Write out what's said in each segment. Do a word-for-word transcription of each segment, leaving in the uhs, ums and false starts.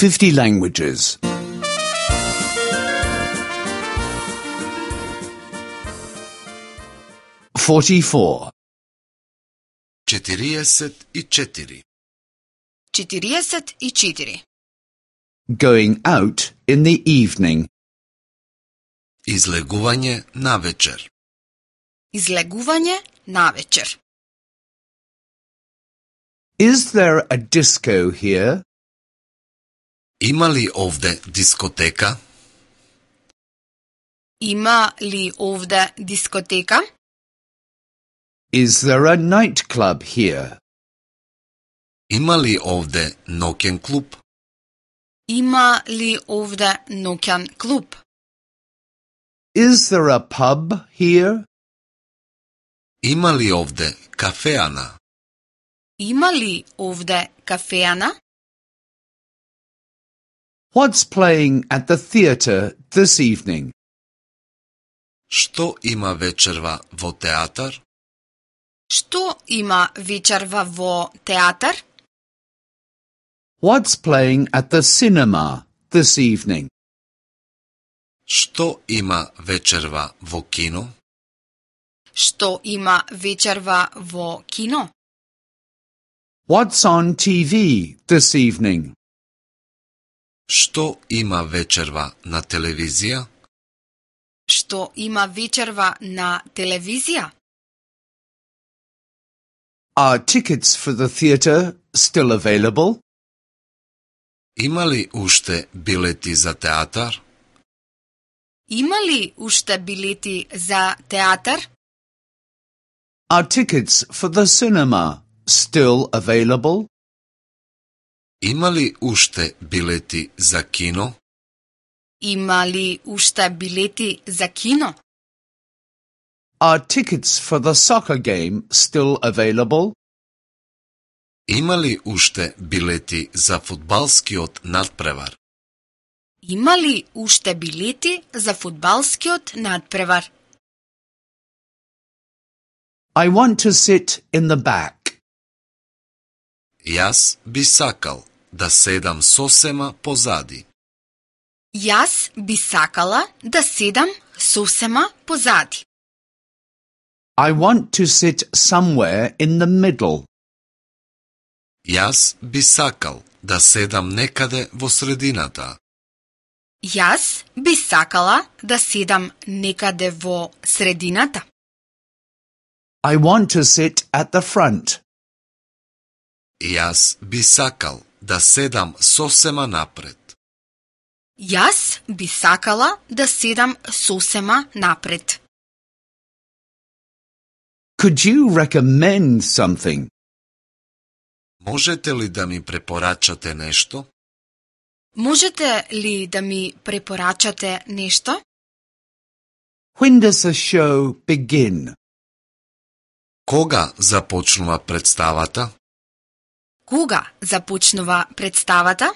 fifty languages. forty-four. четириесет и четири. четириесет и четири. Going out in the evening. Излегување навечер. Излегување навечер. Is there a disco here? Има ли овде дискотека? Има ли овде дискотека? Is there a nightclub here? Има ли овде ноќен клуб? Има ли овде ноќен клуб? Is there a pub here? Има ли овде кафеана? Има ли овде кафеана? What's playing at the theatre this evening? Што има вечерва во театар? Што има вечерва во театар? What's playing at the cinema this evening? Што има вечерва во кино? Што има вечерва во кино? What's on T V this evening? Што има вечерва на телевизија? Што има вечерва на телевизија? Are tickets for the theatre still available? Има ли уште билети за театар? Има ли уште билети за театар? Are tickets for the cinema still available? Има ли уште билети за кино? Има ли уште билети за кино? Are tickets for the soccer game still available? Има ли уште билети за фудбалскиот надпревар? Има ли уште билети за фудбалскиот надпревар? I want to sit in the back. Јас би сакал да седам сосема позади. Јас би сакала да седам сосема позади. I want to sit somewhere in the middle. Јас би сакал да седам некаде во средината. Јас би сакала да седам некаде во средината. I want to sit at the front. Јас би сакал да седам сосема напред. Јас би сакала да седам сосема напред. Could you recommend something? Можете ли да ми препорачате нешто? Можете ли да ми препорачате нешто? When does the show begin? Кога започнува представата? Кога започнува представата?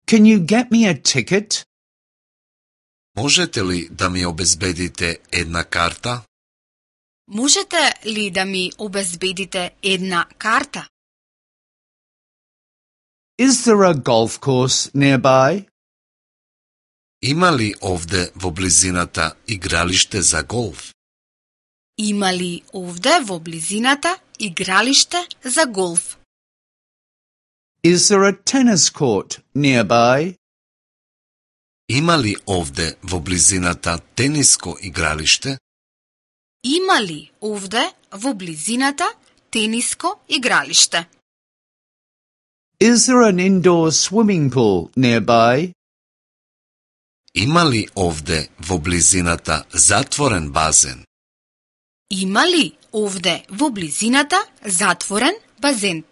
Can you get me a ticket? Можете ли да ми обезбедите една карта? Можете ли да ми обезбедите една карта? Is there a golf course nearby? Има ли овде во близината игралиште за голф? Има ли овде во близината игралиште за голф? Is there a tennis court nearby? Има ли овде во близината тениско игралиште? Има ли овде во близината тениско игралиште? Is there an indoor swimming pool nearby? Има ли овде во близината затворен базен? Има ли овде во близината затворен базен?